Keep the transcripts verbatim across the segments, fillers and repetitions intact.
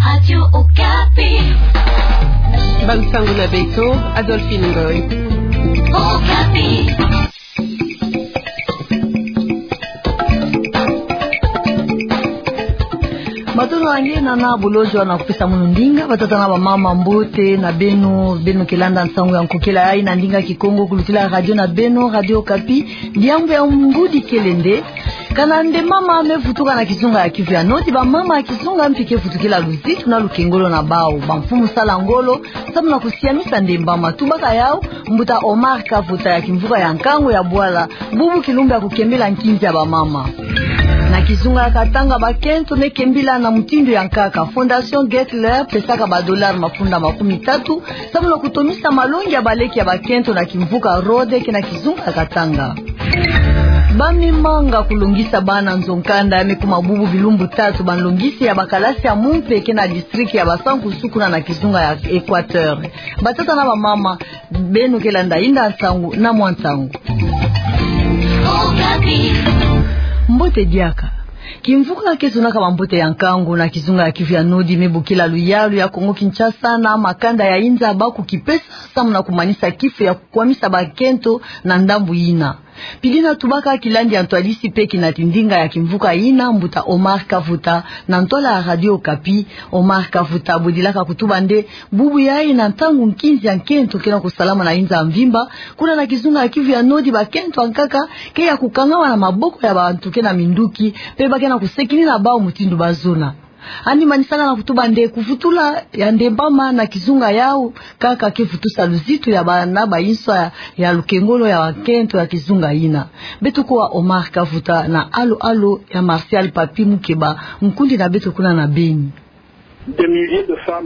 Radio Okapi. Bansango na beto, Adolphine Ngoy. Okapi. Matondo na nge na na bolojwa na kupesa munu ndinga, batata na bamama, mbote na beno, beno ke landa nsangu ya nkokela yayi na ndinga Kikongo kulutila radio na beno, Radio Okapi. Diambu ya ngudi kele nde, kana nde mama me vutuka na kizunga ya Kivu ya Nord, bamama ya kizunga mpi ke vutukila luzitu na lukengolo na bau. Bamfumu sala ngolo samu na kusiamisa nde mama. Tubaka yau, mbuta Omar Kavota ya kimvuka ya nkangu ya Bwala, bubu kilumbu ya kukembila nkinzi ya bamama. Na kizunga ya Katanga, bakento me kembila na mutindu ya nkaka. Fondation Gettler pesaka ba dollars mafunda makumi tatu samu na kutomisa malongi ya baleki ya bakento na kimvuka Rhode ke na kizunga ya Katanga. Ba me manga kulongisa bana nzo-nkanda, me kuma bubu bilumbu tatu, banlongisi ya bakalasi ya mumpe ke na district ya Basankusu kuna na kizunga ya Equateur. Batata na bamama, beno ke landa inda nsangu na mwa ntangu. Mbote diaka. Kimvuka ke zonaka bambote ya nkangu na kizunga ya Kivu ya Nord me bokila luyalu ya Kongo Kinshasa na makanda ya inza baku kipesa samu na kumanisa kifu ya kukwamisa bakento na ndambu yina. Pili na tubaka kilandi ya ntwadisi mpe kinati ndinga ya kimvuka yina, mbuta Omar Kavota, na ntwala ya Radio Okapi. Omar Kavota, bo dilaka kutuba nde, bubu yayi na ntangu nkinzi ya nkento ke na kusalama na inza mvimba, kuna na kizunga ya Kivu ya Nord bakento ya nkaka ke ya kukangama na maboko ya bantu ke na minduki, mpe ba ke na kusekini na bau mutindu bazona. Yandi manisaka na kutuba nde kuvutula ya nde mama na kizunga yau kaka ke vutusa luzitu ya bana bayinswa ya, ya lukengolo ya bakento ya kizunga yina. Beto kuwa Omar Kavota na alo-alo ya Martial Papi Mukeba, nkundi na beto kuna na Beni.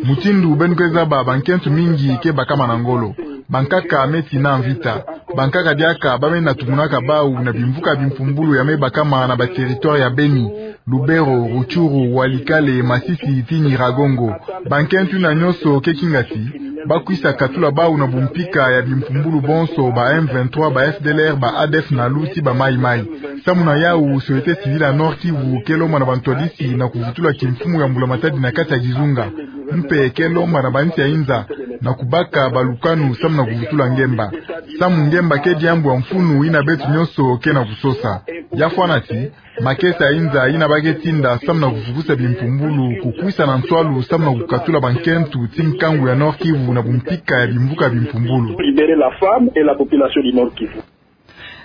Mutindu beno ke zaba, bankento mingi ke bakama na ngolo. Bankaka me tina mvita. Bankaka diaka ba me na tumunaka bau na bimvuka bimpumbulu ya me bakama na ba territoire ya Beni, Lubero, Rutshuru, Walikale, Masisi, ti Nyiragongo. Bankento yina nyonso ke kingati, ba kwisa katula bau na bumpika ya bimpumbulu bonso, ba M vingt-trois, ba F D L R, ba A D F nalu ti ba Maï-Maï. Samu na yau, société civile ya Nord-Kivu ke lomba na bantwadisi na kuvutula kimfumu ya mbula matadi na kati ya kizunga. Mpe ke lomba na bansi ya inza na kubaka balukanu samu na kuvutula ngemba. Samu ngemba ke diambu ya mfunu yina beto nyonso ke na kusosa. Ya fwana ti, makesa ya inza yina ba ke tinda samu na kufukusa bimpumbulu, kukwisa na nswalu samu na kukatula bankento ti nkangu ya Nord-Kivu na bumpika ya bimvuka bimpumbulu. Libérer la femme et la population du Nord-Kivu.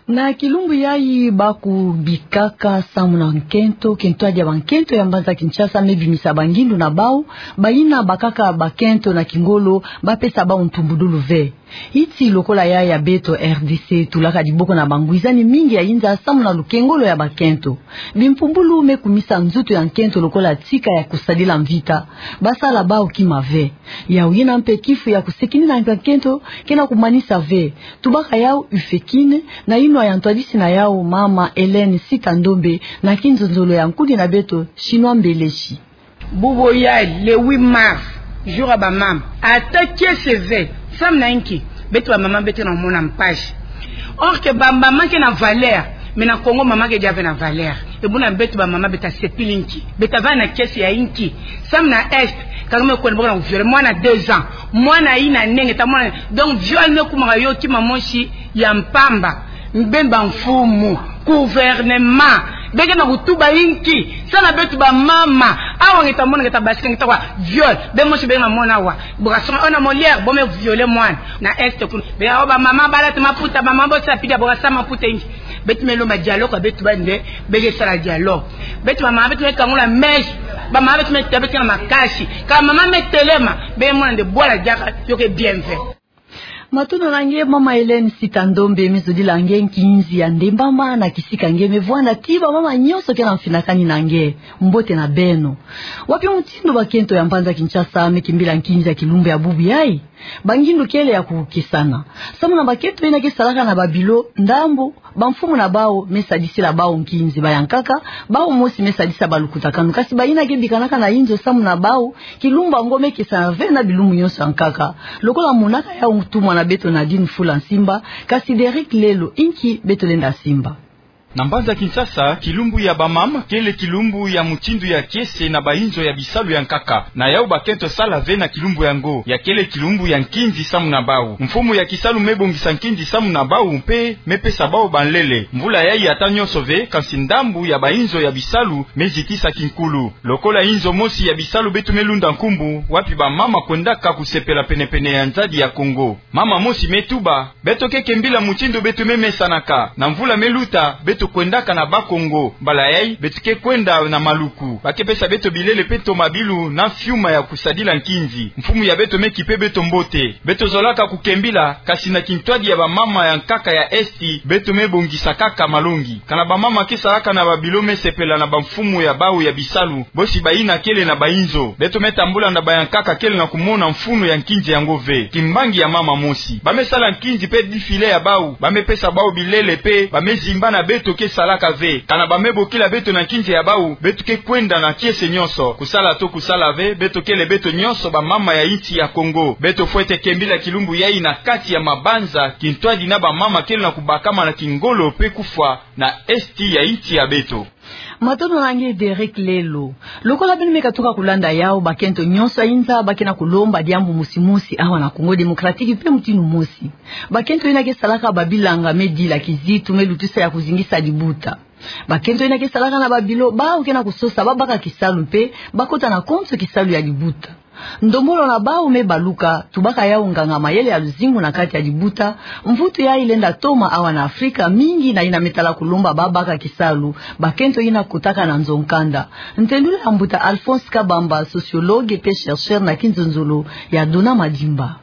Na kilumbu yayi baku bikaka samu na nkento, ke ntwadi ya bankento ya mbanza Kinshasa me bimisa bangindu na bau, bayina bakaka bakento na kingolo, ba pesa bau ntumbudulu ve. Yeti lokola yayi ya beto R D C tulaka diboko na bangwizani mingi ya inza samu na lukengolo ya bakento. Bimpumbulu me kumisa nzutu ya nkento lokola tika ya kusadila mvita. Ba sala bau kima ve. Yau yina mpe kifu ya kusekini na nkento ke na kumanisa ve. Tubaka yau UFEKIN, na yinwa ya ntwadisi na yau mama Hélène Sita Ndombe, na kinzonzolo ya nkundi na beto Chinois Mbeleshi. Bubu yayi, le huit mars, jour ya bamama. Ata kiese ve, femme na inki, beto bamama beto na mona mpasi. Or que bamama ke na valeur, mais na Congo mama ke déjà ve na valeur. E buna beto bamama beto ta sepili inki, beto ta va na kiese ya inki. Samu na Est, kanga me kwenda boko na violer mwana deux ans. Mwana yina nenge ta mwana. Donc viol me kumaka yo kima mosi ya mpamba. Beno bamfumu, gouvernement, be ke na kutuba inki? Samu na beto bamama, awa nge ta mona nge ta basika nge ta kwa viol. Beno mosi be na mona awa. Bo ka songa ona Molière, bo me violer mwana. Na Est kuna. Be awa bamama ba lata maputa, bamama bo sa pida bo ka sa maputa inki. Beto me lomba dialogue, beto ba nde, be ke sala dialogue. Beto bamama beto me kangula meso. Bamama beto me tebete na makasi. Ka mama me telema, be mona nde bwala diaka, yo ke bien fait. Matondo na nge, mama Hélène Sita Ndombe, me zodila nge nkinzi ya ndembama na kisika nge me vwanda ti bamama nyonso ke na mfinakani na nge. Mbote na beno. Wapi mutindu bakento ya mbanza Kinshasa me kimbila nkinzi ya kilumbu ya bubu yayi? Bangindu kele ya kukesana. Samu na bakento yina ke salaka na babilo ndambu, bamfumu na bau me sadisila bau nkinzi, bayankaka bau mosi me sadisa balukutakanu. Kasi bayina ke bikanaka na inzo samu na bau, kilumbu yango me kesana ve na bilumbu nyonso ya nkaka. Lokola monaka yau ntumwa na beto Nadine Fula Nsimba, kasi Derrick Lelo, inki beto lenda simba? Na mbanza Kinshasa, kilumbu ya bamama kele kilumbu ya mutindu ya kiese na bainzo ya bisalu ya nkaka. Na yau bakento sala ve na kilumbu yango, ya kele kilumbu ya nkinzi samu na bau. Mfumu ya kisalu me bongisa nkinzi samu na bau mpe me pesa bau banlele. Mvula yayi ata nyonso ve, kansi ndambu ya bainzo ya bisalu me zitisa kinkulu. Lokola inzo mosi ya bisalu beto me lunda nkumbu, wapi bamama kwendaka kusepela penepene ya nzadi ya Kongo. Mama mosi me tuba: Beto ke kembila mutindu beto me mesanaka. Na mvula me luta, beto kwendaka na Bas-Congo. Mbala yayi, beto ke kwenda na Maluku. Ba ke pesa beto bilele mpe tomabilu na fiuma ya kusadila nkinzi. Mfumu ya beto me kipe beto mbote. Beto zolaka kukembila, kansi na kintwadi ya bamama ya nkaka ya Esti, beto me bongisa kaka malongi. Kana bamama ke salaka na babilo me sepela na bamfumu ya bau ya bisalu, bosi bayina kele na bainzo. Beto me tambula na bayankaka kele na kumona mfunu ya nkinzi yango ve. Kimbangi ya mama mosi. Ba me sala nkinzi mpe défilé ya bau. Ba me pesa bau bilele mpe ba me zimba na beto ke salaka ve. Kana ba me bokila beto na nkinzi ya bau, beto ke kwenda na kiese nyonso. Kusala to kusala ve, beto kele beto nyonso bamama ya insi ya Kongo. Beto fwete kembila kilumbu yayi na kati ya mabanza, kintwadi na bamama kele na kubakama na kingolo mpe kufwa na Esti ya insi ya beto. Matondo na nge, Derek Lelo. Lokola beno me katuka kulanda yau, bakento nyonso ya inza ba ke na kulomba diambu mosi mosi awa na Congo Démocratique mpe mutindu mosi. Bakento yina ke salaka babilanga me dila kizitu, me lutisa ya kuzingisa libuta. Bakento yina ke salaka na babilo, bau ke na kusosa babaka kisalu mpe bakota na konso kisalu ya libuta. Ndombolo na bau me baluka, tubaka yau nganga-mayele ya luzingu na kati ya libuta. Mvutu yayi lenda toma awa na Afrika mingi na yina me tala kulomba babaka kisalu bakento yina kotaka na nzo-nkanda. Ntendula ya mbuta Alphonse Kabamba, sociologue mpe chercheur na kinzonzolo ya Dona Madimba.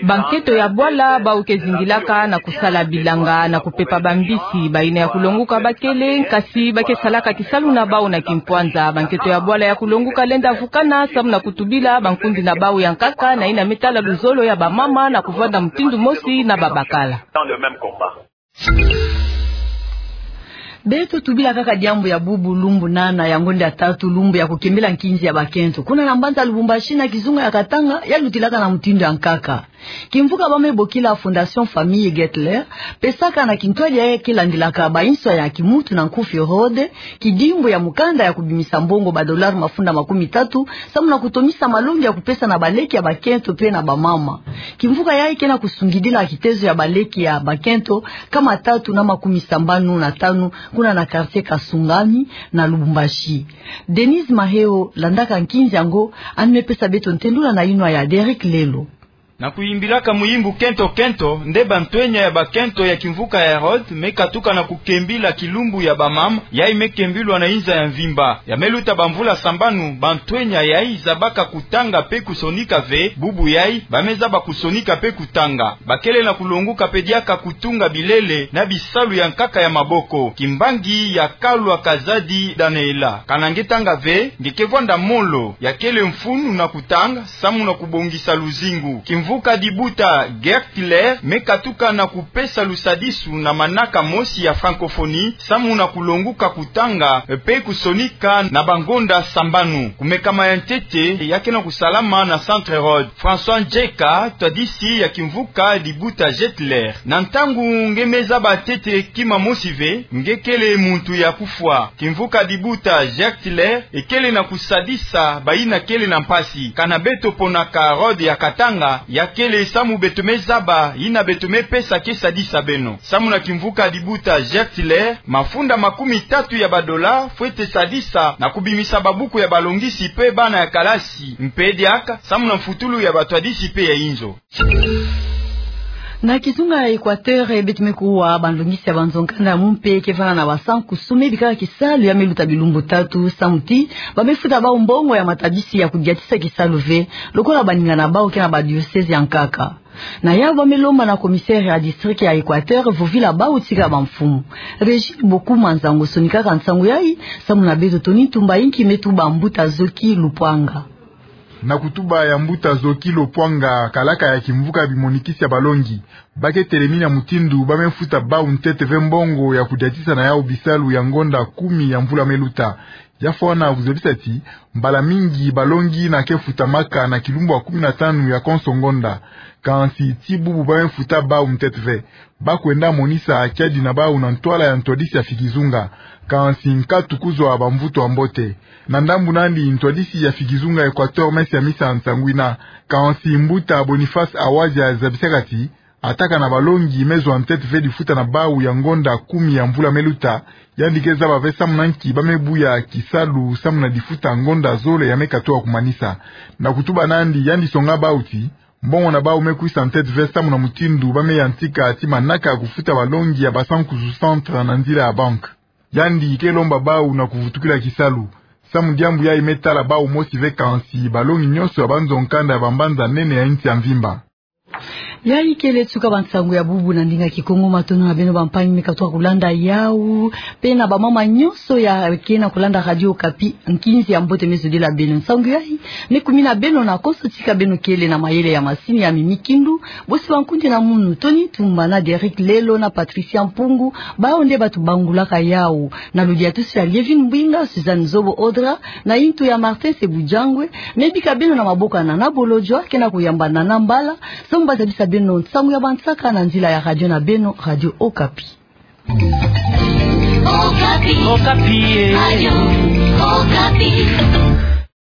Bankento ya bwala bau ke zingilaka na kusala bilanga na kupepa bambisi. Bayina ya kulonguka ba kele, kasi ba ke salaka kisalu na bau na kimpwanza. Bankento ya bwala ya kulonguka lenda vukana samu na kutubila bankundi na bau ya nkaka na yina me tala luzolo ya bamama na kuvanda mutindu mosi na babakala. Beto tubila kaka diambu ya bubu lumbu nana ya ngonda ya tatu, lumbu ya kukembila nkinzi ya bakento. Kuna na mbanza Lubumbashi, na kizunga ya Katanga, ya lutilaka na mutindu ya nkaka. Kimvuka ba me bokila Fondation Famille Gettler pesaka na kintwadi yayi ke landilaka bainso ya kimutu na nkufi road, kidimbu ya mukanda ya kubimisa mbongo ba dollars mafunda makumi tatu, samu na kutomisa malongi ya kupesa na baleki ya bakento mpe na bamama. Kimvuka yayi ke na kusungidila kitezo ya baleki ya bakento nkama tatu na makumi sambanu na tanu, kuna na quartier Kasangani na Lubumbashi. Denise Maheo landaka nkinzi yango, yandi me pesa beto ntendula na yinwa ya Derek Lelo. Na kuyimbilaka muyimbu kento-kento, nde bantwenya ya bakento ya kimvuka ya Herode me katuka na kukembila kilumbu ya bamama, yayi me kembilwa na inza ya mvimba. Ya me luta bamvula sambanu, bantwenya yayi zabaka kutanga mpe kusonika ve. Bubu yayi, ba me zaba kusonika mpe kutanga. Ba kele na kulonguka mpe diaka kutunga bilele na bisalu ya nkaka ya maboko. Kimbangi ya Kalwa Kazadi Daniela. Kana nge tanga ve, nge ke vwanda molo. Ya kele mfunu na kutanga samu na kubongisa luzingu. Kimvuka Dibuta Gettler me katuka na kupesa lusadisu na manaka mosi ya francophonie, samu na kulonguka kutanga mpe kusonika na bangonda sambanu. Kumekama ya ntete ya ke na kusalama na Centre Herode. François Ndjeka, twadisi ya kimvuka Dibuta Gettler. Na ntangu nge me zaba ntete kima mosi ve, nge kele muntu ya kufwa. Kimvuka Dibuta Gettler ekele na kusadisa bayina kele na mpasi. Kana beto ponaka Herode ya Katanga, ya kele samu beto me zaba yina beto me pesa ke sadisa beno. Samu na kimvuka Dibuta Gettler, mafunda makumi tatu ya ba dollars fwete sadisa na kubimisa babuku ya balongisi mpe bana ya kalasi, mpe diaka samu na mfutulu ya batwadisi mpe ya inzo. Na kizunga ya Equateur, beto me kuwa banlongisi ya banzo-nkanda ya mumpe ke vanda na basankusu me bikaka kisalu ya me luta bilumbu tatu, samu ti ba me futa bau mbongo ya matabisi ya kudiatisa kisalu ve, lokola baninga na bau ke na badiocèse ya nkaka. Na yau ba me lomba na commissaire ya district ya Equateur vovila bau tika bamfumu. Régine Bokuma Nzangu sonikaka nsangu yayi, samu na beto Tony Ntumba Inki me tuba mbuta Zoki Lupwanga. Na kutuba ya mbuta Zoki Lupwanga, kalaka ya kimvuka bimonikisi ya balongi, ba ke telemina mutindu ba me futa bau ntete ve mbongo ya kudiatisa na yau bisalu ya ngonda kumi ya mvula me luta. Ya fwana kuzabisa ti, mbala mingi balongi na ke futamaka na kilumbu ya kumi na tanu ya konso ngonda. Kansi ti bubu ba me futa bau ntete ve. Ba kwenda monisa kiadi na bau na ntwala ya ntwadisi ya fikizunga. Kansi nkatu kuzwa bamvutu ya mbote. Na ndambu nandi ntwadisi ya fikizunga Equateur me siamisa nsangu yina. Kansi mbuta Boniface Awazia zabisaka ti, atakana balongi me zwa ntete ve difuta na bau ya ngonda kumi ya mvula me luta, yandi ke zaba ve samu na nki ba me buya kisalu samu na difuta ngonda zole ya me katuka kumanisa. Na kutuba nandi yandi songa bau ti, mbongo na bau me kwisa ntete ve samu na mutindu ba me yantika ti manaka kufuta balongi ya Basankuzu Centre na nzila ya banque. Yandi ke lomba bau na kuvutukila kisalu. Samu diambu yayi me tala bau mosi ve kansi balongi nyonso ya banzo nkanda ya bambanza nene ya insi ya mvimba. Yayi kele suka bansangu ya bubu na ndinga Kikongo. Matondo na beno bampangi me katuka kulanda yawu, pe na bamama nyonso ya ke na kulanda Radio Okapi, nkinzi ya mbote me zodila beno. Nsangu yayi me kumina beno na konso tika beno kele na mayele ya masini ya Mimi Kindu, bosi bankundi na munu Tony Tumba na Derrick Lelo na Patricia Mpungu, bau nde batu bangulaka yawu. Na ludiatusu ya Lievine Mbwinga, Suzanne Zobo Odra, na intu ya Martin Sebujangwe, me bika beno na maboko ya Nana Bolodjwa, ke na kuyamba Nana Mbala, samu ba zabisa beno nsangu ya bansaka na nzila ya radio na beno, Radio Okapi. Okapi. Okapi, eh. Radio Okapi.